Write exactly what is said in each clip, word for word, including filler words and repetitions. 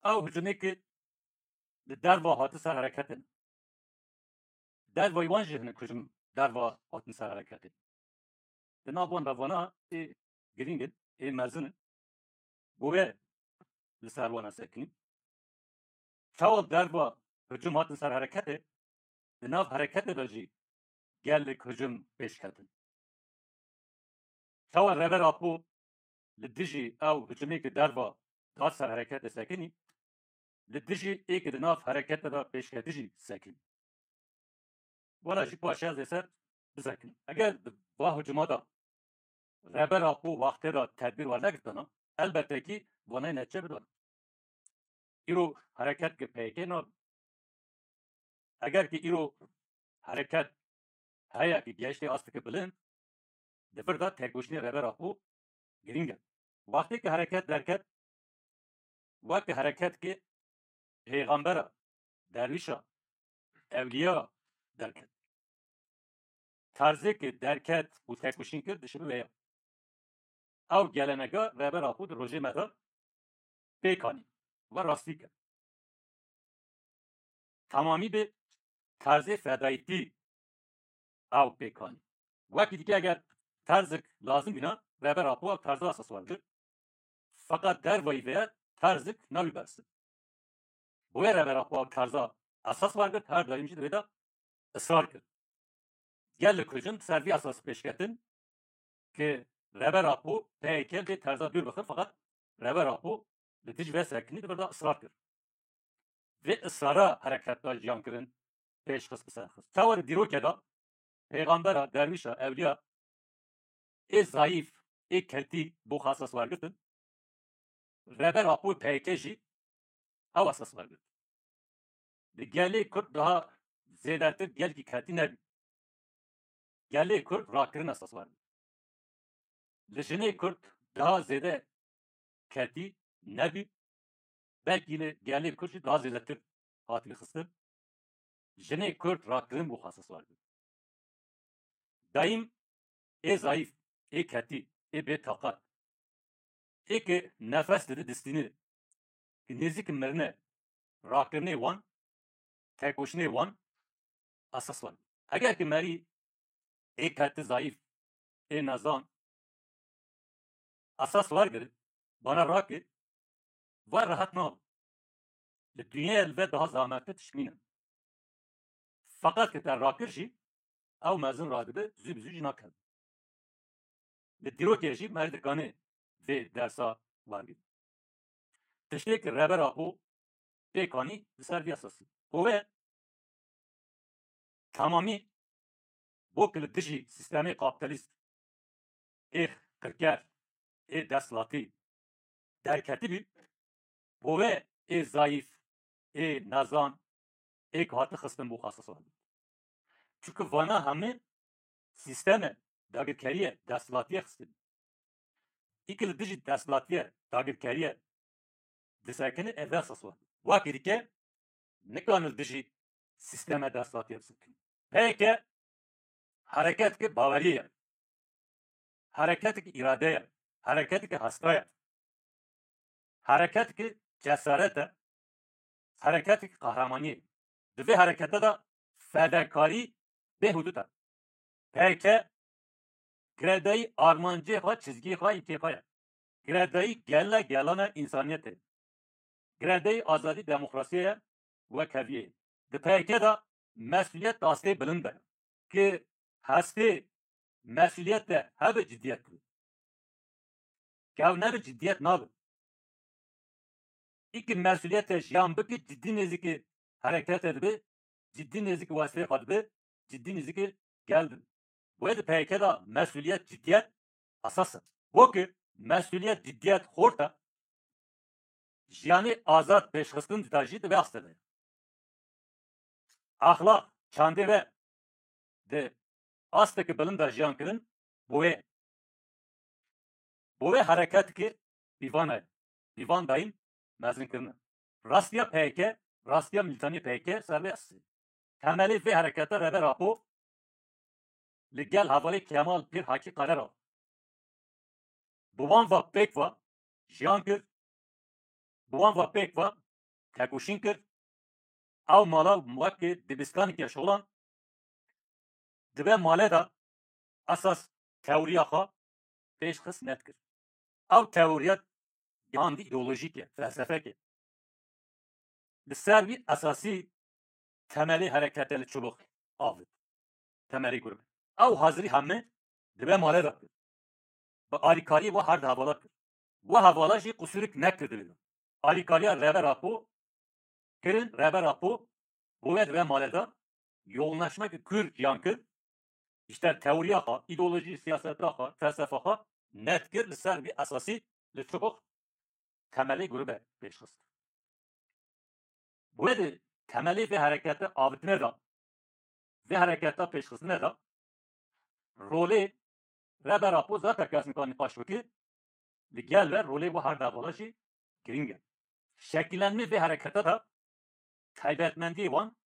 Ew hicumê ki li derva hatin ser hereketê ne. Dervayî wan jî hinek hicum derva hatin ser hereketê. Di nav wan de vana ê girîng in, ê mezin in. Bo wê li ser wana sekinî. Çawa derva hicum hatin ser hereketê, di nav hereketê de jî gelek hicum pêş ketin. Çawa Rêber Apo li dijî ew hicumê ki derva da ser hereketê sekinî, li dijî ê ki di nav hereketê de pêşketî jî sekinî. Wala jî paşê ez ê ser bisekinim. Eger di va hicuma de Rêber Apo wextê de tedbîr wernegirtana, elbette kî vanayê neçe bidana. Îro hereket ki P Y K nabe. Eger ki îro hereket heye ki gehiştê asteke bilind, di vir de têkoşînê Rêber Apo girîng e. Wextê ki hereket derket, weke hereket ki pêxembera, derwîşa, ewliya derket. Terzê ki derket û têkoşîn kir dişibe wê ya. Ew gelenega Rêber Apo di rojê me de pêk anî ve rastî kir. Temamî bi terzê fedayîtî ew pêk anî. Wekî dîke eger terzik lazim bîna, Rêber Apo ew terza esas wergirt. Feqet dervayî vê terzik nabî bersin. Bo wê Rêber Apo ew terza esas wergirt, her daîm jî di vê de israr kir. Gelek hicum ser vî esasî pêşketin ki Rêber Apo P Y K vê terza dûr bixin, feqet Rêber Apo li dij vê sekinî di vir de israr kir. Vê israra hereket da jiyan kirin pêş xist bi ser xist. Tewa di dîrokê de pêxembera, derwîşa, ewliya ê zayîf, ê ketî bo xwe esas wergirtin. Rêber Apo P Y K jî ew esas wergirt. Li gelê Kurd daha zêdetir gelkî ketî nebî. Gelê Kurd rakirin esas wergirt. Li jinê Kurd daha zêde ketî nebî. Belkî li gelê Kurd jî daha zêdetir hatibî xistin. Jinê Kurd rakirin bo xwe esas wergirt. Daîm ê zayîf, ê ketî, ê bê taqat, ê ki nefes dide distînê, ki nêzîk mirine, rakirinê wan, têkoşînê wan esas wan. Eger ki merî ê ketî zayîf, ê nezan esas wergirin, bana rake, ve rehet nabe. Li dinyaya li ve daha zehmettir tişt nîne. Feqet ki te rakir jî, ew mezin radibe, zû bi zû jî nakeve. Li dîrokê jî me dikane vê dersa wergirin. Tiştê ki Rêber Apo pêk anî li ser vî esasî. Bo wê temamî bo ki li dijî sîstemê kapîtalîst ê qirker, ê desthilatî derketibî, bo wê ê zayîf, ê nezan, ê ki hati xistin bo xwe esas wergirt. Çunku vana hemî sîsteme dagirkerî ye, desthilatî ye xistin. Ê ki li dijî desthilatî ye, dagirkerî ye, disekine, ev esas e. Wekî dîke nikane li dijî sîsteme desthilatî bisekin. P Y K hereketeke bawerî ye. Hereketeke îrade ye. Hereketeke hesta ye. Hereketeke cesaret e. Hereketeke qehremanî ye. Di vê herekete de fedekarî bêhudûd e. P Y K girêdayî armancê xwe, çizgiyê xwe, îlkê xwe ye. Girêdayî gele gelana însaniyetê ye. Girêdayî azadî, demokrasiyê ye, wekheviyê ye. Di P Y K de mesuliyet astê bilind e. Ki hestê mesuliyet de hebe cidiyet be. Ke ew nebe cidiyet nabe. Ê ki mesuliyete jiyan bike, cidî nêzîkî herekete dibe, cidî nêzîkî wezîfeyê xwe dibe, cidî nêzîkî gel dibe. Bo wê di P Y K de mesuliyet, cidiyet esas e. Bo ki mesuliyet, cidiyet xort e, jiyanê azad pêşxistin dida jî di vê astê de ye. Exlaq, çandê ve di asteke bilind de jiyan kirin, bo wê, bo wê hereketeke pîvan e, pîvan dayîn mezin kirine. Rastiya P Y K, rastiya milîtanê P Y K ser vê esasî. Temelê vê herekete Rêber Apo li gel hevalê Kemal Pîr Hakî Qerer a. Bi wan va pêk va jiyan kir, bi wan va pêk va tekoşîn kir. Ew mala weke dibistaneke şolan dibe male de esas teoriya xwe pêş xist nedikir. Ew teoriya gihandî îdeolojîk e, felsefek e. Li ser vî esasî temelê herekete li çubuk avêt. Temelê grûp. Ew hazirî heme dibe male de kir. Bi alîkariyê we her di hevala kir. We hevala jî qusûrik nekir di vê de. Alîkariya Rêber Apo kirin, Rêber Apo bo we dibe male de yoğunlaşmak kür ciyan kir. İşte teoriya xwe, îdeolojî, siyaseta xwe, felsefa xwe net kir, li ser vî esasî li çubuk temelê grûbe pêş xist. Wê di temelê vê herekete avitine de, vê hereketa pêşxistine de rolê Rêber Apo zaten kes nikane nîqaş bike, li gel ve rolê we her devala jî giring e. Şekillenmê vê hereketa de taybetmendiyê wan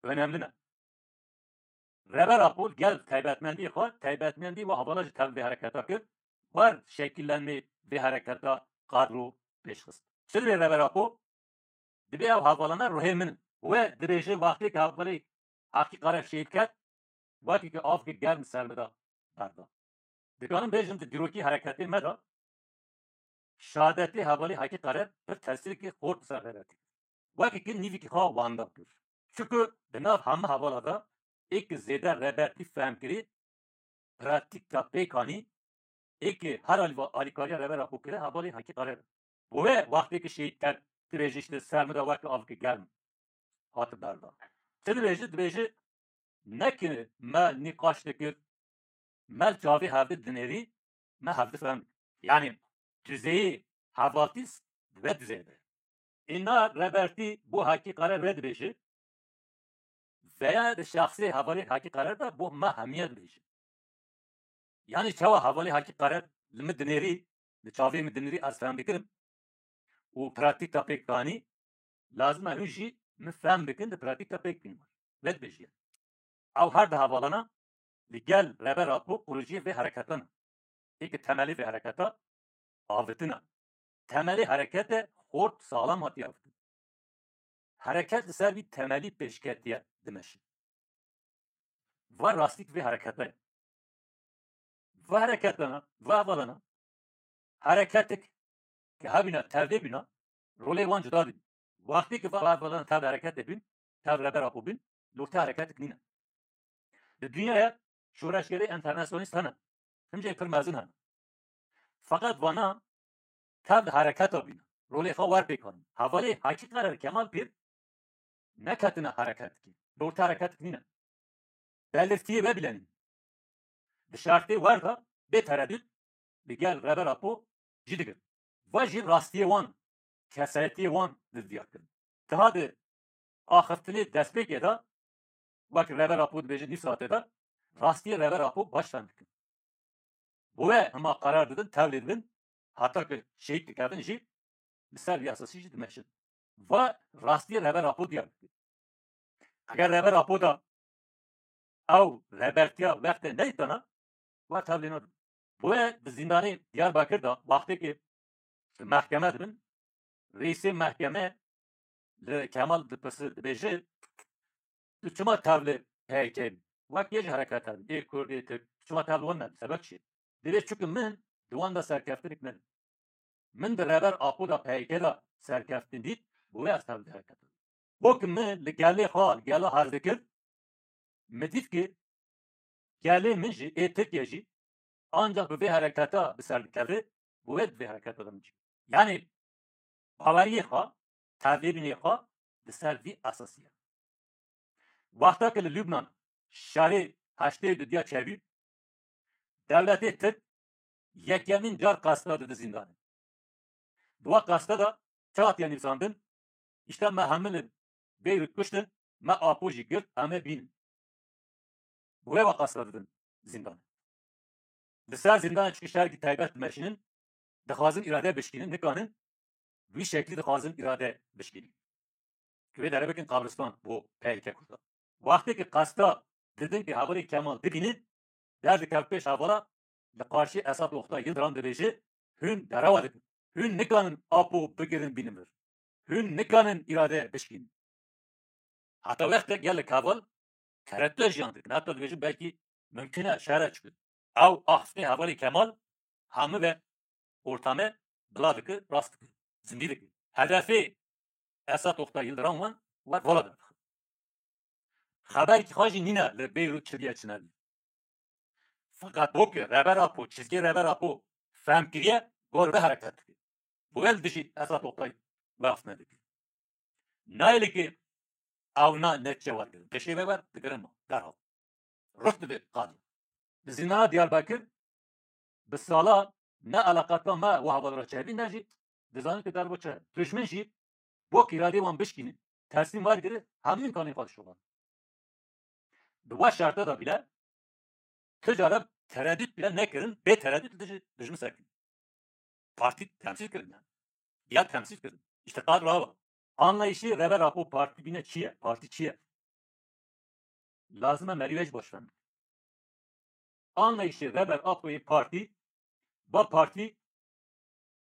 önemli ne. Rêber Apo gel taybetmendiyê xwe, taybetmendiyê we hevala jî tev vê hereketa kir, wer şekillenmê vê hereketa kadro pêş xist. Çi divê Rêber Apo? Divê ew hevalana ruhê min in. We dibêje wextê ke hevalê Heqî Qare şehîd ket, wekî ke avkê germ ser min de berda. Dikarim bêjim di dîrokî hereketê me de şehadetê hevalê Heqî Qare pir tesîrkî xort ser Rêbertî kir. Wekî ki nîvîkî xwe wenda kir. Çiku di nav heme hevala de ê ki zêde Rêbertî fehm kirî, pratîka pêk anî, ê ki her alî va alîkariya Rêber Apo kire hevalê Heqî Qare. Bo wê wextê ki şehîd ket, dibêje işte ser min de weke avkê germ hate berdan. Çi dibêje? Dibêje, ne ki me nîqaş dikir, me li çavê hevdî dinêrî, me hevdî fehm dikir. Yanî duzeyê hevaltî dibe duzeyê be. Îna Rêbertî bo Heqî Qare vê dibêje, veya di şexsê hevalê Heqî Qare de bo me hemiye dibêje. Yanî çawa hevalê Heqî Qare li min dinêrî, li çavê min dinêrî ez fehm dikirim û pratîka pêk anî, lazim e hûn jî min fehm bikin, di pratîka pêk bînin. Vê dibêje. Ew her di hevalana li gel Rêber Apo kuruciyê vê hereketana. Ê ki temelê vê hereketa avitine. Temelê herekete xort saxlam hatiye avitin. Hereket li ser vî temelî pêşketiye dimeşe. Va rastîk vê herekete ye. Va hereketana, va hevalana, hereketik ke hebîna, tevdê bîna, rolê wan cuda dibî. Wextê ke va hevalana tev hereketê bîn, tev Rêber Apo bîn, li ortê hereketik nîne. Di dinyaya şoreşgerê enternasyonîst hene. Hincê pir mezin hene. Feqet vana tev di hereketa bîne. Rolê xwe wer pêk anîn. Hevalê Heqî Qare Kemal Pîr neketine hereketikê. Li ortê hereketik nîne. Belirtiyê vebilenîn. Di şertê wer de bê teredût li gel Rêber Apo cî digir. Va jî rastiyê wan, kesayetiyê wan li diyar kirin. Tiha di axiftinê destpêkê de, wek Rêber Apo dibêje nîv saetê de, rastiyê Rêber Apo baş fehm dikin. Bo wê hema qerar didin, tevlê dibin, heta ku şehîd dikevin jî, li ser vî esasî jî dimeşin. Va rastiyê Rêber Apo diyar dike. Eger Rêber Apo da ew rêbertiya wextê neytana, wa tevlê nadin. Bo wê di zîndanê Diyarbakir de wextê ki di mehkeme dibin, reîsê mehkeme li Kemal dipirse, dibêje, tu çima tevlê P Y K bî? Wek yê ji hereketa bî, ê Kurd, ê Tirk, tu çima tevlê wan nebî? Sebeb çi? Dibê çuku min di wan de serkeftinik nebî. Min di Rêber Apo de P Y K de serkeftin dît, bo wê ez tevlê hereketa bim. Bo ki min li gelê xwe, li gela hez dikir, min dît ki gelê min jî, ê Tirkiye jî, ancak bi vê hereketa bi ser dikeve, bo wê di vê hereketa de min cî. Yanî baweriyê xwe, tevlêbînê xwe di ser vî esasî ye. Wexta ke li Lubnan şerê heştê û dudiya çêbû, dewletê Tirk yekemîn car qesta dide zîndanê. Di wa qesta de çi hatiye nivîsandin? Îşte me hemî li Beyrût kuştin, me Apo jî girt, em ê bînin. Bi wê wa qesta didin zîndanê. Li ser zîndanê çi şerkî taybet dimeşînin, dixwazin îrade bişkînin, nikanin, wî şeklî dixwazin îrade bişkînin. Ki wê dere bikin qabristan bo P Y K Kurda. Wextê ki qesta didin ki hevalê Kemal dibînin, derdikev pêş hevala, li qarşî Esad Oktay Yildirim dibêje, hûn derewa dikin. Hûn nikanin Apo bigirin bînin vir. Hûn nikanin îrade bişkînin. Heta wextek gelek heval tereddût jiyan dikin. Heta dibêjin belkî mimkun e şer e, çikin ew axiftinê hevalê Kemal hemû ve ortame bila dike, rast dike, zindî dike. Hedefê Esat Oktay Yildirim wan wer vala derdixin. Xeberkî xwe jî nîne li Beyrût çi diye çi nebî. Feqet bo ki Rêber Apo, çizgê Rêber Apo fehm kiriye, gor ve hereket dike. Bo el dijî Esat Oktay wexf nedike. Nayê li ki ew na netçe wergirin. Beşê ve wer digirin ma. Derhal. Ruh dide qadî. Di zîndana Diyarbekir bi sala ne eleqata me û hevalra çevî ne jî dizanin ki derbo çi. Dujmin jî bo ki îradê wan bişkînin, teslîm wergiri, hemû îmkanên xwe dişovan. Di we şerta de bîle, tu cara tereddût bîle nekirin, bê tereddût dijî dujmin sekin. Partî temsîl kirin yani. Ya temsîl kirin. Îşte qad rawa. Anlayışê Rêber Apo partî bîne çi ye? Partî çi ye? Lazim e merî wê jî baş fem. Anlayışê Rêber Apoyê partî, ba partî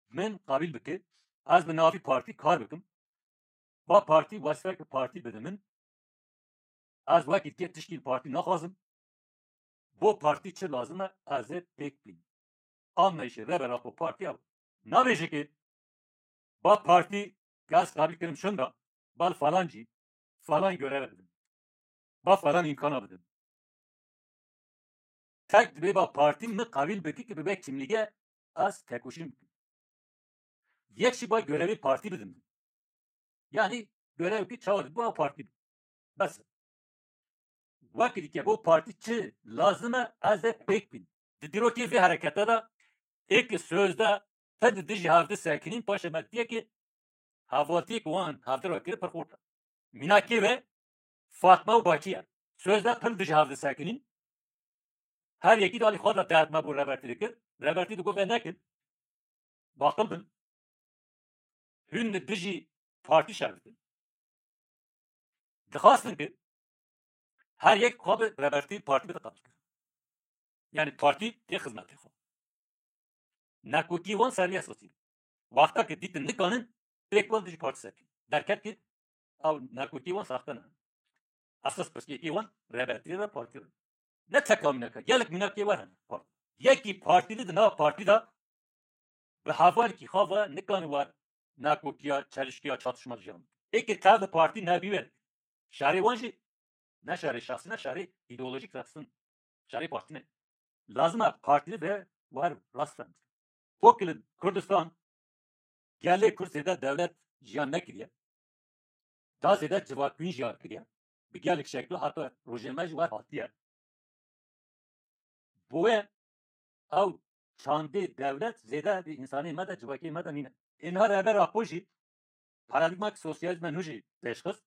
min qabîl bike, ez bi navî partî kar bikim. Ba partî wesfeke partî bide min. Ez wekî dikê tişkî partî naxwazim. Bo partî çi lazim e, ez ê pêk bînim. Anlayışê Rêber Apo partî ew. Nabêje ki ba partî ki ez qabîl kirim şunda, bal falan cî, falan göreve bidim. Ba falan îmkana bidim. Tek dibê ba partî min qabîl bike ki bibe kimlîge ez tekoşîn bikim. Yek jî ba görevê partî bidim. Yani görev ki çawa dibo ew partî bidim. Bes. Wekî dike bo partî çi lazim e, ez ê pêk bînim. Di dîrokê vê herekete de ê ki sözde te di dijî hevdi sekinîn, paşê me diye ki hevaltiyê ki wan hevdi ra kir pir xurt e. Mînakê ve Fatma û Bakî ye. Sözde pir dijî hevdi sekinîn. Her yekî de alî xwe de derdme bo Rebertî dikir. Rebertî digot ve nekin. Baqil bin. Hûn li dijî partî şer dikin. Dixwastin ki her yek xwe bi Rebertî partî bide qebûl kir. Yani partî tê xizmetê xwe. Nakokî wan serî esasî. Wexta ki dîtin nikanin, pêk wan dijî partî sekin. Derket ki ew nakokî wan saxte ne. Esas pirsgirêkê wan Rebertî re, partî re. Ne teka mînaka, gelek mînakê wer hene. Yekî partî di nav partî de bi hevalkî xwe ve nikane wer nakokiya, çelişkiya, çatışma jiyan. Ê ki tev de partî nebî we. Şerê wan jî ne şerê şexsî, ne şerê îdeolojîk rexsin. Şerê partî ne. Lazim e partî ve wer rast fem. Wekî li Kurdistan gelê Kurd zêde dewlet jiyan nekiriye. Da zêde civakbîn jiyan kiriye. Bi gelek şeklo heta rojê me jî wer hatiye. Bo wê ew çandê dewlet zêde di însanê me de, civakê me de nîne. Ê niha Rêber Apo jî paradîgmak sosyalîzme nû jî pêşxist.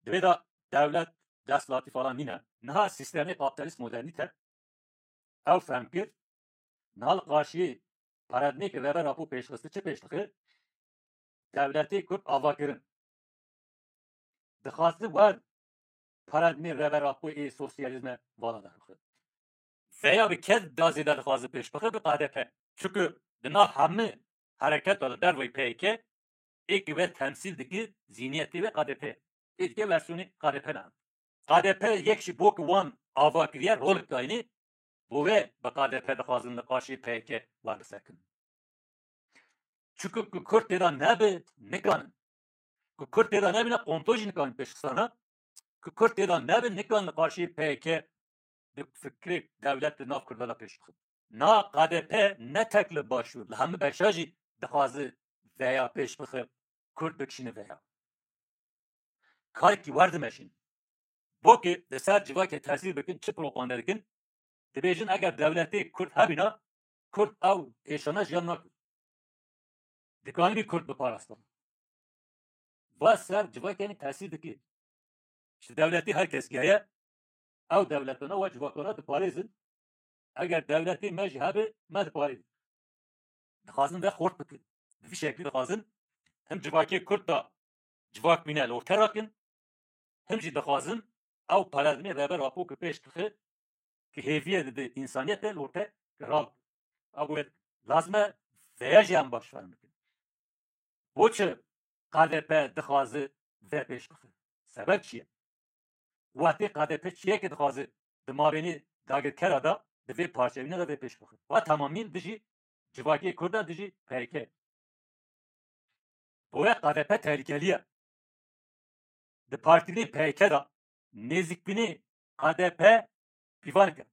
Divê de dewlet, desthilatî falan nîne. Niha sîstemê kapîtalîst modernîte ew fehm kir. Niha li qarşiyê paradîgmeyê ki Rêber Apo pêşxist çi pêş dixe? Dewletê Kurd ava kirin. Dixwaze wer paradîgmê Rêber Apo ê sosyalîzme vala derbixe. Veya bi kes da zêde dixwaze pêş bixe, bi K D P. Çunku di nav hemî hereket de derveyî P Y K ê ki ve temsîl dike, zîniyetê ve K D P. Ê dike versiyonê K D P ne. K D P yek jî bo ki wan ava kiriye, rolek dayînê, bo wê bi K D P dixwazin li qarşî P Y K wer bisekin. Çunku ku Kurd têda nebe, nikanin. Ku Kurd têda nebîne, komplo jî nikanin pêşxistana. Ku Kurd têda nebe, nikanin li qarşî P Y K di fikrê dewlet di nav Kurda de pêş bixin. Na K D P ne tek li Başûr, li hemî beşa jî dixwaze veya pêş bixe, Kurd bikişîne veya. Karekî wer dimeşin. Bo ki li ser civakê tesîr bikin, çi propaganda dikin? Dibêjin eger dewletê Kurd hebîna, Kurd ew êşana jiyan nakin. Dikanî bî Kurd biparastin. Va ser civakê tesîr dike. Ji dewletê her kes heye, ew dewletana we civakana diparêzin. Eger dewletê me jî hebe, me diparêzin. Dixwazin ve xort bikin. Bi vî şeklî dixwazin him civakê Kurd da civak bîne li orte rakin, him jî dixwazin ew paradîgmê Rêber Apo ki pêş dixe, ki hêviye dide însaniyetê, li orte rakin. Ew wê lazim e veya jî em baş fehm bikin. Bo çi K D P dixwaze vê pêş bixe. Sebeb çi ye? Wextê K D P çiyekê dixwaze di mabênê dagirkera de, di vê parçebîne de vê pêş bixe. Wa temamî dijî civakê Kurd e, dijî P K K. Boya K D P tehlikelî ye. Di partîbînê P K K de nêzîkbînê K D P pîvan kir.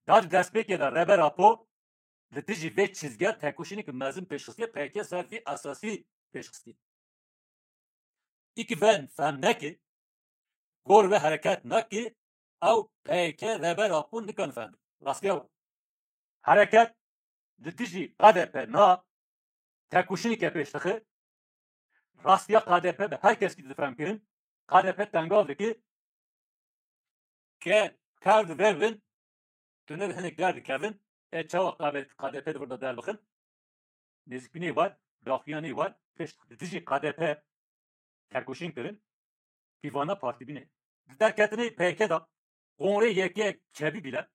Da di destpêkê de Rêber Apo li dijî vê çizgiya tekoşîneke mezin pêşxistiye, P K K ser vî esasî pêşxistiye. Îkî ven fehm neke, gor ve hereket nake, ew P K K Rêber Apo nikan fehm. Rastiya wan. Hereket li dijî K D P na tekoşîneke pêş dixe. Rastiya K D P bi her kes ki difem kirin. K D P tengav dike. Ke tev di vevin, tu ne hinek derdikevin. E çawa K D P di vir de derbixin? Nêzîkbînê war, daxuyanê war, pişt li dijî K D P tekoşîn kirin, pîvana partîbînê. Di derketinê P K K de kongrê yekê çebî bîle,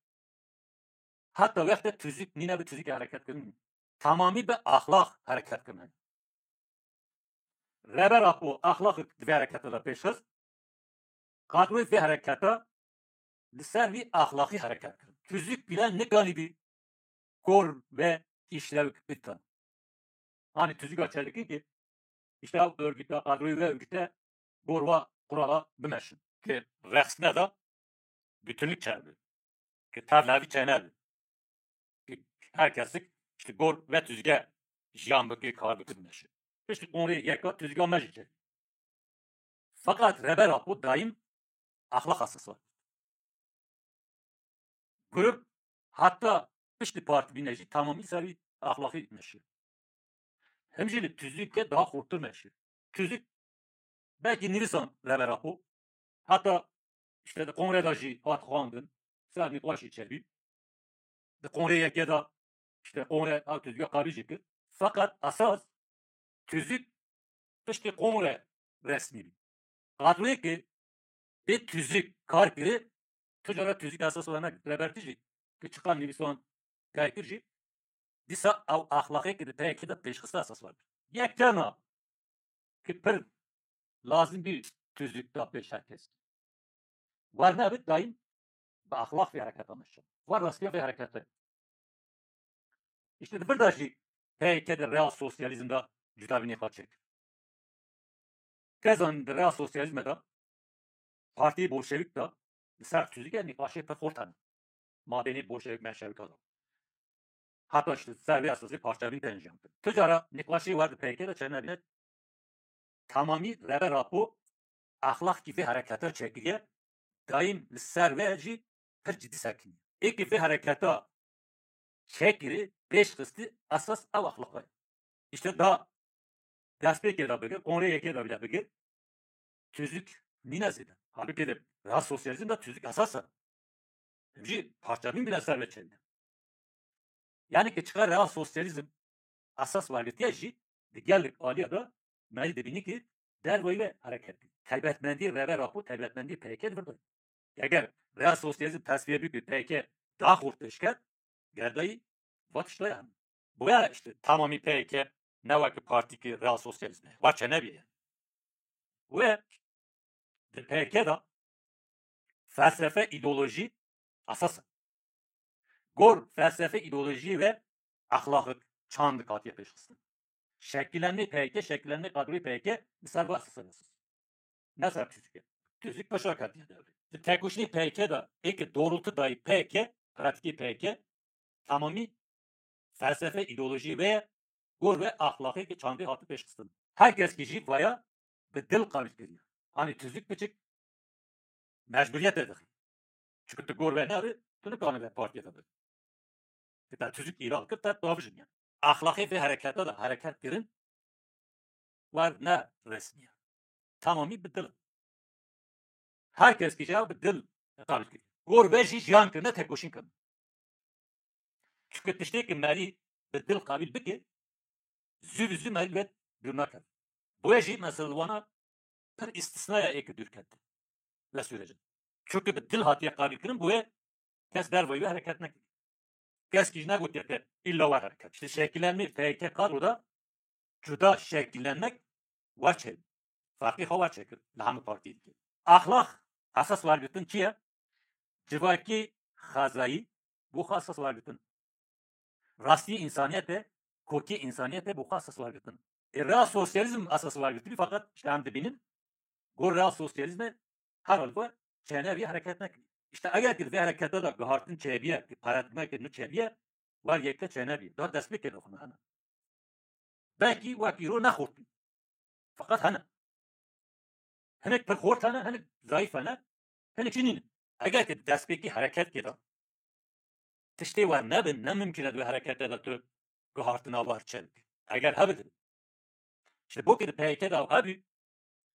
heta wextê tuzîk nîne bi tuzîkê hereket kirin. Tamamî bi axlaq hereket kirin. Rêber Apo axlaqek di vê hereketê de pêş xist. Qadroyê vê hereketa li ser vî axlaqî hereket kirin. Tuzîk bîle nikanîbî gor ve îşlewek bikin. Hani tuzîka çelikî ki işte ew örgüte, qadroyê vê örgüte gor ve kurala bimeşin. Ki rexsine de bütünlük çêbe. Ki tevlevî çênebe. Ki her kesik işte gor ve tuzîke jiyan bike, kar bike, bimeşe. Piştî kongrê yeka tuzîka me jî çêbe. Feqet Rêber Apo daîm axlaq esas e. Grup heta piştî partîbîne jî tamamî ser vî axlaqî meşe. Him jî li tuzîke daha xurtir meşe. Tuzîk belkî nivîsan Rêber Apo. Heta işte di kongrê de jî hat xwendin. Ser nîqaşê çêbî. Di kongrê yekê de işte kongrê ew tuzîka qebîl jî kir. Feqet esas tuzîk piştî kongrê resmî bî. Qadroyê ki bê tuzîk kar kirî, tu cara tuzîk esas were nekir. Rêbertî jî ki çiqas nivîsan kar kir jî, dîsa ew axlaqê ki di P K K de pêşxiste esas were. Yek tena ki pir lazim bî tuzîk da pêş her kes. Wer nebit daîm bi axlaq vê hereketa meşe. Wer rastiya vê herekete. İşte di vir de jî P K K di real sosyalizm de cudabînê xwe çêkir. Tezan di real sosyalizme de partiyê bolşevik de li ser tuzîke nîqaşê pir xurt hene. Mabênê bolşevik menşevika de. Heta işte ser vê esasê parçebîn tên jiyan kir. Tu cara nîqaşê wer di P K K de çênebîne tamamî Rêber Apo axlaqkî vê hereketa çêkiriye, daîm li ser vê jî pir cidî sekiniye. Ê ki vê hereketa çêkirî, pêş xistî, esas ew axlaq e. Îşte da destpêkê de bigir, kongrê yekê de bile bigir, tuzîk nîne zêde. Halbuki de real sosyalizm de tuzîk esas e. Jî parçebîn bile ser ve çênîne. Yani ki çiqas real sosyalizm esas wergirtiye jî di gelek aliya de me jî dibînî ki derveyî ve hereket kir. Taybetmendî Rêber Apo, taybetmendî P K K di vir de. Eger real sosyalizm tesfiye bikir, P K K daha xurt pêş ket, gerdayî va tişta ye. Boya işte tamamî P K K ne wek partî ki real sosyalizm e. Wa çênebîye. Wê di P K K de felsefe, îdeolojî esas e. Gor, felsefe, îdeolojî ve axlaqik, çandik hatiye pêşxistin. Şekillenmê P K K, şekillenmê kadroyê P K K li ser va esas e. Ne ser tuzîk e. Tuzîk paşa hatiye dewrê. Di tekoşînê P K K de ê ki doğrultu dayî P K K, pratîkê P K K, tamamî felsefe, îdeolojî ve gor ve axlaqê ki çandê hati pêşxistin. Her kes ki jî vaya bi dil qabîl kiriye. Hani tuzîk piçik mecburiyete dixî. Çünkü tu gor ve neri, tu nikanî ve partiye de bî. Ki te tuzîk îlan kir, te davijin yani. Axlaqê vê hereketa de hereket kirin, wer ne resmî ye. Tamamî bi dil. Her kes ki jî bi dil qabîl kiriye. Gor ve jî jiyan kirine, tekoşîn kirine. Çünkü tiştê ki merî bi dil qabîl bike, zû bi zû merî wê dûr nakeve. Boye jî mesela wana pir îstisnaya ê ki dûr kete le süreci. Çünkü bi dil hatiye qabîl kirin, boye kes derveyî wê hereket nekiriye. Kes ki jî negotiye te îlla wer hereket. İşte şekillenme P K K kadroda cuda şekillenmek wer çêbû. Ferqê xwe wer çêkir li hemû partiyê dike. Axlaq esas wergirtin çi ye? Civakî xwezayî bo xwe esas wergirtin. Rastî însaniyetê, kokî însaniyetê bo xwe esas wergirtin. Ê real sosyalîzm esas wergirtibî, feqet işte em dibînin, got real sosyalîzmê herhalde çênebî, hereket nekirî. İşte eger ki vê herekete de gihartin çêbiye, ki paradîgmeke nû çêbiye, wer yekte çênebî. Da destpêkê de xwe hene. Belkî wek îro ne xurt bî. Feqet hene. Hinek pir xurt hene, hinek zayîf hene, hinek jî nîne. Eger ki destpêkî hereketke de tiştê wer nebin, ne mimkun e di wê herekete de tu guhartina wer çêbik. Eger hebit. Ji bo ki di P Y K de ew hebî,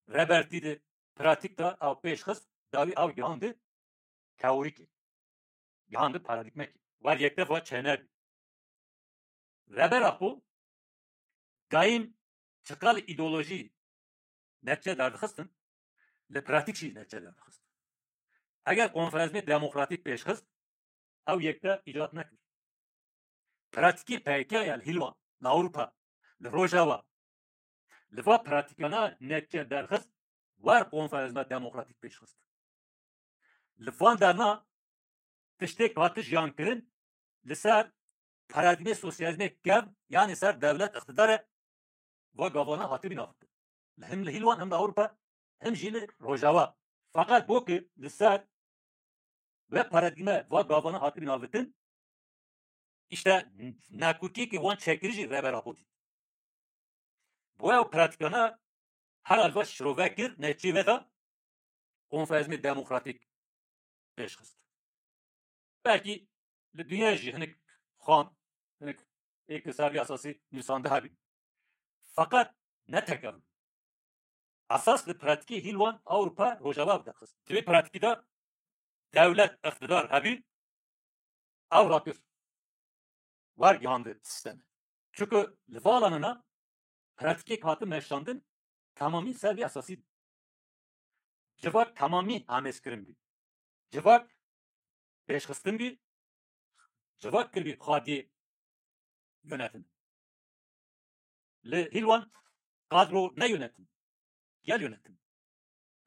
Rebertî di pratîk de ew pêş xist, dawî ew gihandi teorîkê. Gihandi paradîgmekê. Wer yektev ve çênebî. Reber Apo dayîm çiqal îdeolojî netçe derdixistin, li pratîk jî netçe derdixistin. Eger konferensmê demokratîk pêş xist, ew yekte îcat nekir. Pratîkê P Y K ya li Hîlwan, li Ewropa, li Rojava, li va pratîkana netçe derxist, wer konferensma demokratîk pêş xist. Li van derna tiştêk hati jiyan kirin, li ser paradîgmê sosyalîzmê kevn, yanî ser dewlet, îqtidarê va gavana hatibî navitin. Li him li Hîlwan, him li Ewropa, him jî li Rojava. Feqet bo ki li ser ve paradîgme va gavana hatibî navitin, işte nakokiyê ki wan çekirî jî Reber Apo dît. Bo ew pratîkana herhalde şirove kir, netçê ve de konferensmê demokratîk pêş xist. Belkî li dinya jî hinek xan, hinek êk li ser vî esasî nivîsande hebî. Feqet ne tek ev. Esas li pratîkê Hîlwan, Ewropa, Rojava derxist. Di vê pratîkî de dewlet, îqtidar hebî, ew rakir. Wergihandi sîstemê. Çunku li va alanana pratîkek hati meşandin, temamî ser vî esasî bû. Civak temamî amêzkirin bî. Civak pêşxistin bî. Civak kiribî xwediyê yönetim. Li Hîlwan kadro ne yönetim. Gel yönetim.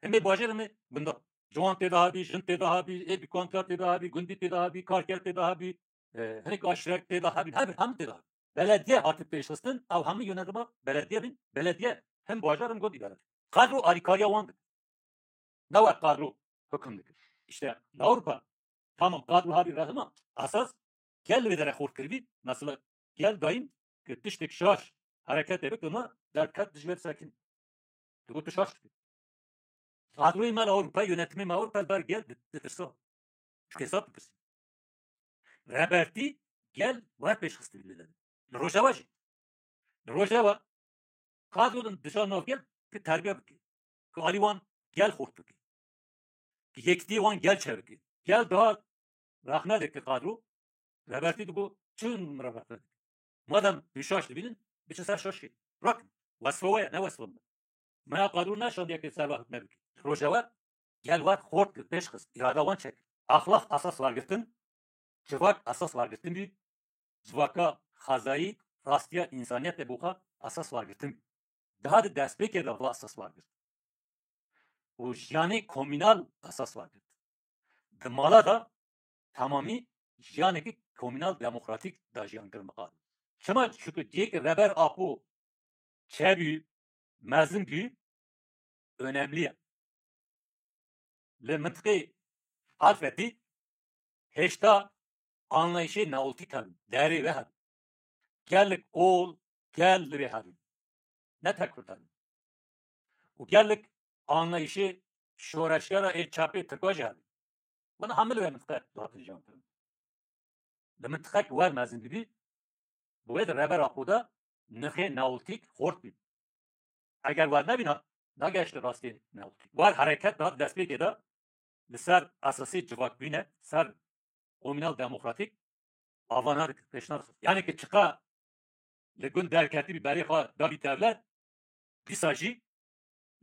Hemê bajarê me gunda. Ciwan tê de hebî, jin tê de hebî, ê dukandar tê de hebî, gundî tê de hebî, karker tê de hebî, e, hinek aşirek tê de hebî, hebî, hemî tê de hebî. Belediye hatî pêşxistin, ew hemî yönetima belediye bin, belediye hem bajar hem gund îdare. Kadro alîkariya wan dike. Ne wek kadro hukum dike. İşte li Ewropa tamam kadro hebî rehma esas gel li vê derê xurt kiribî. Mesela gel dayîm ki tiştek şaş hereketê bike, me derket dijber sekin. Digot tu şaş dikî. Kadroyê me li Ewropa, yönetimê me Ewropa li ber gel di-, ditirsa. Ji kesat dipirsî. Rebertî gel wer pêşxistî li, li Rojava jî. Li Rojava kadro din dija nav gel ki terbiye bike. Ki alî wan gel xurt bike. Ki yekitiyê wan gel çe bike. Gel daha rexne dike kadro. Rebertî digo çi min re rexne dike. Madem tu şaş dibînin, biçin ser şaşê. Rakin. Wesfa we ye, ne wesfa min. Me ya qadro neşandiye ke serva hukme bike. Rojava gel wer xort kir, pêş xist, îrada wan çek. Axlaq esas wergirtin, civak esas wergirtin bî, civaka xwezayî, rastiya însaniyetê bo xwe esas wergirtin bî. Daha di destpêkê de va esas wergirt. Û jiyanê komînal esas wergirt. Di mala de temamî jiyanekî komînal demokratîk de jiyan kirin bi qadro. Çima? Çunku cihê ke Reber Apo çêbû, mezin bû, önemli ye. Li mintiqê Halfetî hêşta anlayışê neolîtîk hebin, derê ve hebin. Gelek ol, gel li vê hebin. Ne tek Kurd hebin. Û gelek anlayışê şoreşgera ê çapê Tirka jî hebin. Bana hemil ve mintiqe dihate jiyan kirin. Li mintiqek wer mezin dibî, bi wê de Reber Apo de nirxê neolîtîk xort bî. Eger wer nebîna, nagehişte rastiyê neolîtîk. Wer hereket da destpêkê de li ser esasê civakbûne, ser komînal demokratîk avana dikir, pêşna dixist. Yani ki çiqa li gund derketibî berê xwe dabî dewlet, dîsa jî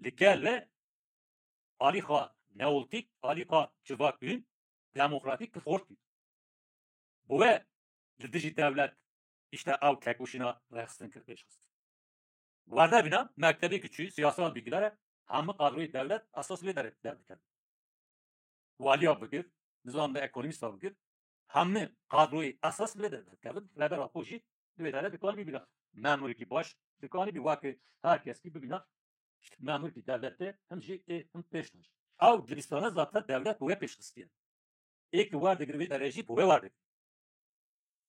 li gel ve alî xwe neolîtîk, alî xwe civakbûn, demokratîk kir xort bî. Bi we li dijî dewlet, işte ew tekoşîna rêxistin kir pêş xist. Werde bîna mektebê ki çû, siyasal bilgilere, hemî kadroyê dewlet esas wê derê derdikevin. Waliya bigir, nizam ve ekonomîsta bigir, hemî kadroyê esas wê derdikevin. Rêber Apo jî di wê derê dikanî bibîna memûrekî baş, dikanî bî wekî her kes ki bibîna memûrekî dewletê, him jî ê him pêş de. Ew dibistane zaten dewlet bi wê pêş xistiye. Ê ki werdigir wê derê jî bi wê werdigir.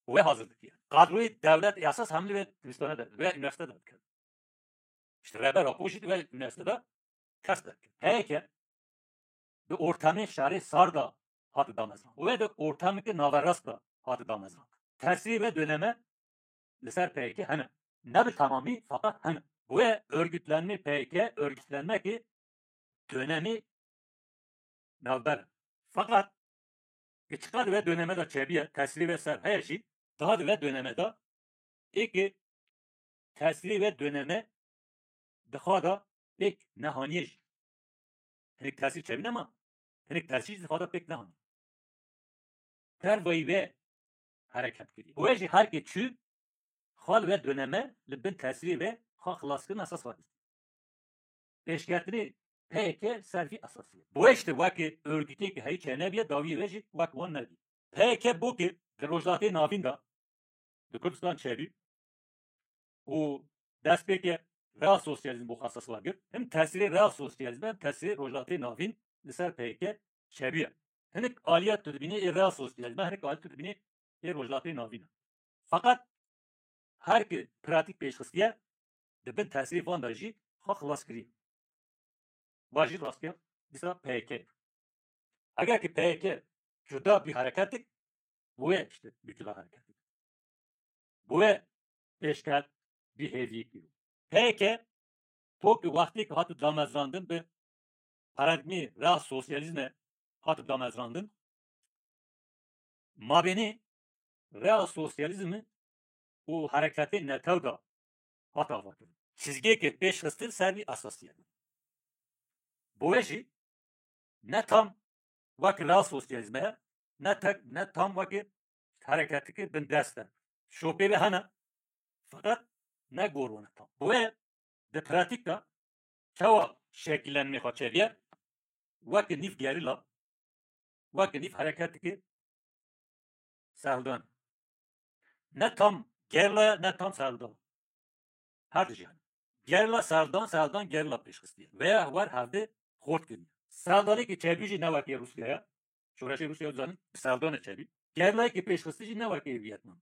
Wê hazir dikiye. Kadroyê dewlet esas hemî wê dibistane de, wê üniversite de dikevin. İşte Rêber Apo jî di wê üniversite de kes derkir. P Y K di ortamê şerê sar de hati damezrand. Wê di ortameke naverast de hati damezrand. Tesirê wê döneme li ser P Y K hene. Ne bi tamamî, fakat hene. Wê örgütlenme P Y K, örgütlenmekê dönemî navber. Fakat çiqas di wê döneme de çebiye, tesirê wê ser heye jî, daha di wê döneme de, ê ki tesirê wê döneme di xwe de pêk nehaniye jî. Hinek tesir çebî nema, hinek tesir jî di xwe de pêk nehaniye. Dervayî wê hereket kiriye. Wê jî her ki çû, xal wê döneme li bin tesirê wê xwe xilaskirin esas xwe dît. Pêşketinê P Y K ser vî esasî ye. Bi wê işte wekî örgütê ki heyî çênebiye, dawiyê wê jî wek wan nebî. P Y K bo ki di Rojhilatê Navîn de, di Kurdistan çêbî û destpêkê real sosyalizm bo xwe esas wergirt. Him tesirê real sosyalizm hem tesirê Rojhilatê Navîn li ser P Y K çêbî ye. Hinek aliya tu dibînî ê real sosyalizm, hinek aliya tu dibînî ê Rojhilatê Navîn e. Fakat her ki pratîk pêş xistiye, di bin tesirê van de jî xwe xilas kiriye. Va jî rastiya dîsa P Y K. Eger ki P Y K cuda bî hereketik, bu wê işte bî cuda hereketik. Bu wê pêşket bî hêviyekî. P Y K, to ki wextê ki hati damezrandin bi paradigmê real sosyalizme hati damezrandin, mabênê real sosyalizm û hereketê netew de hat avakirin. Çizgiyeke pêşxistin ser vî esasî ye. Bo wê jî ne tam wek real sosyalizme ye, ne tek, ne tam wek hereketeke bindest e. Şopê ve hene, fakat ne gor wan e tam. Bo wê di pratîk de çawa şekillenmê xwe çêbiye? Wek nîv gerîla, wek nîv hereketeke serhildan. Ne tam gerîla ye, ne tam serhildan. Her di jî hene. Gerîla serhildan, serhildan gerîla pêşxistiye. Veya war hevdê xort kiriye. Serhildanê ki çêbî jî ne wekî Rûsya ye. Şoreşê Rûsya dizanin bi serhildanê çêbî. Gerîlayê ki pêşxistî jî ne wekî Vietnam.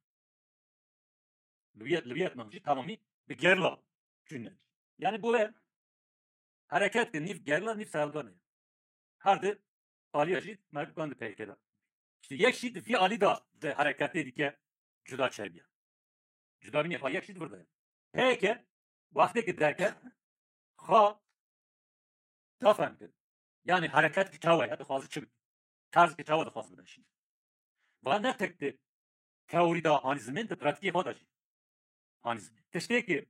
Li Viet-, li Vietnam jî tamamî bi gerîla çûne. Yani bo wê hereket ki nîv gerîla, nîv serhildan e. Her di aliya jî merdikan di P Y K de. İşte yek jî di vî alî de di hereketê dike cuda çêbiye. Cudabînê xwe yek jî di vir de ye. P Y K wextê ki derket, xwe da fehm kir. Yani hereket ki çawa ye, dixwaze çi bike? Tarz ki çawa dixwaze bimeşîne? Va ne tek di teorî de hanî zimên, di pratîkê xwe de jî hanî zimên. Tiştê ki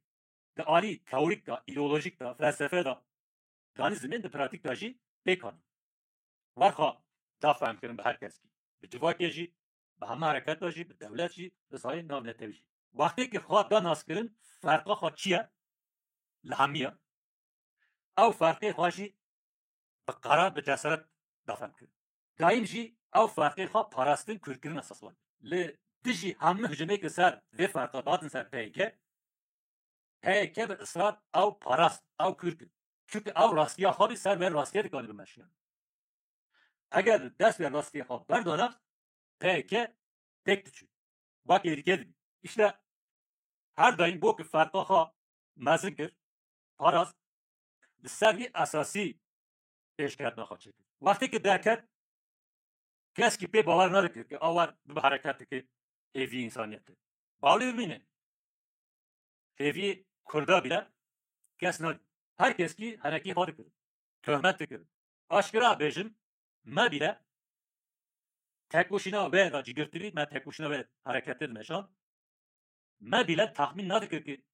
di alî teorîk de, îdeolojîk de, felsefe de danî zimên, di pratîk de jî pêk hanî. War xwe da fehm kirin bi her kes kî. Bi civakê jî, bi heme hereket de jî, bi dewlet jî, bi sayê navnetewî jî. Wextê ki xwe da naskirin, ferqa xwe çi ye? Li hemî ye. Ew ferqê xwe jî bi qerar, bi cesaret da fehm kirin. Dayîm jî ew ferqê xwe parastin, kûrkirin esas wan. Li dijî hemû hicûmê ki ser vê ferqa datin ser P Y K, P Y K bi israr ew parast, ew kûr kir. Çunke ew rastiya xwe bî, ser vê rastiyê dikanî bimeşiya. Eger dest vê rastiyê xwe berdana, P Y K têk diçû. Wek êrîkê dibî. Îşte her daîm bo ki ferqa xwe mezin kir, parast, li ser vî esasî pêşketina xwe çêkir. Wextê ki derket, keskî pê bawer nadikir ki a war bibe hereketeke hêvî însaniyetê. Bawlê bimîne. Hêvî Kurda bile kes nadî. Her keskî henekî xwe dikir. Tohmet dikir. Aşkera bêjim, me bile tekoşîna wê de cîgirtirî, me tekoşîna wê hereketê dimeşand. Me bile taxmîn nadikir ki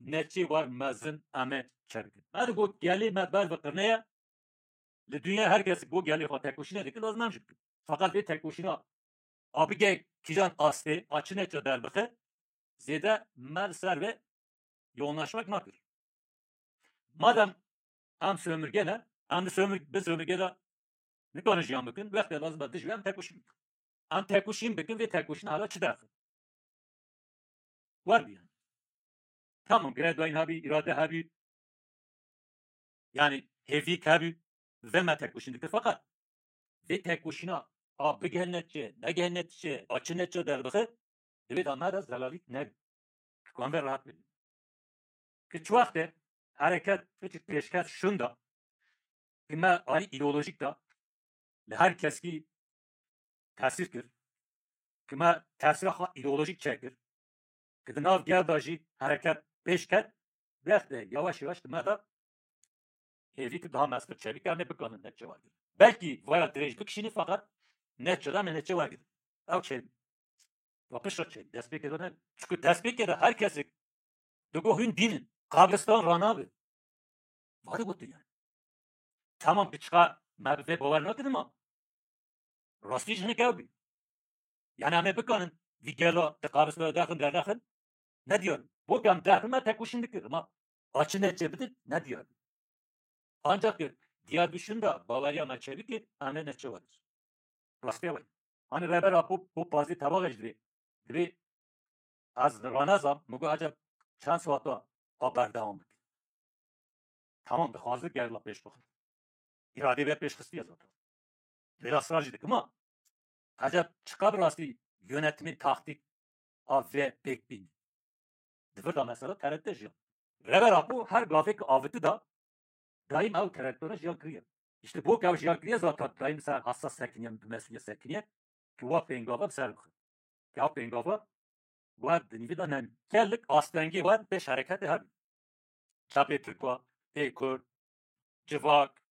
neçê war mezin em ê çêbikin. Me digot gelê me ber bi qirnê ye. Li dinya her kes bo gelê xwe tekoşîne dike, lazim em jî bikin. Feqet vê tekoşîna a bige kîjan astê, a çi nêça derbixe, zêde me li ser vê yoğunlaşmak nakir. Madem em sömürge ne, em di sömür-, bi sömürge de nikarin jiyan bikin, wextê lazim e dijî em tekoşîn bikin. Em tekoşîn bikin, vê tekoşîna hala çi derxe? Wer bi yani. Tamam, girêdayîn hebî, îrade hebî, yani hêvîk hebî, vê me tekoşîn dikir. Feqet vê tekoşîna a bigihene çi, negihene çi, a çi neçe derdixe, divê da me de zelalîk nebî. Ki em vê rehat bibîn. Ki çi wextê hereket piçik pêşket şunda, ki me alî îdeolojîk da, li her keskî tesîr kir, ki me tesîra xwe îdeolojîk çêkir, ki di nav gel de jî hereket pêş ket, wextê yavaş yavaş di me de hêvî ki daha mestir çêbî, em ê bikanin neçe wergirin. Belkî vaya dirêj bikişînin, feqet neçe de em ê neçe wergirin. Ew çêbî. Wa piştre çêbî. Destpêkê de ne. Çunku destpêkê de her kesek digo hûn dîn in. Qabristan ranabe. Vade gotin yani. Tamam, piçka me bi vê bawer nakin, ama rastî jî hinek ew bî. Yani em ê bikanin vî gela di qabristan derxin, dernexin, ne diyar. Bo ke em derxin me tekoşîn dikir, ama a çi neçe bidin, ne diyar. Ancak ki diyar bişin de baweriya me çêbikir, em ê neçe wergirin. Rastî ew e. Hani Rêber Apo bo pazê tebaxê jî divê, divê ez ranezam, min got, eceb çend saeta a berdewam bike. Tamam, dixwaze gerla pêş bixe. Îradê vê pêş xistiye zaten. Lê asrar jî dikim ha. Eceb çiqa bi rastî yönetimê taktîk a vê pêk bîne? Di vir de mesela T R T jiyan. Rêber Apo her gavê ki aviti da, daîm ew karaktere jiyan kiriye. İşte bo ke ew jiyan kiriye zaten daîm ser hassa sekiniye, bi mesuliyet sekiniye ki wa pêngava bi ser bixe. Ki ew pêngava wer di nîvî de nemî. Gelek astengî wer pêş hereketê hebî. Çapê Tirkwa, pê Kurd, civak,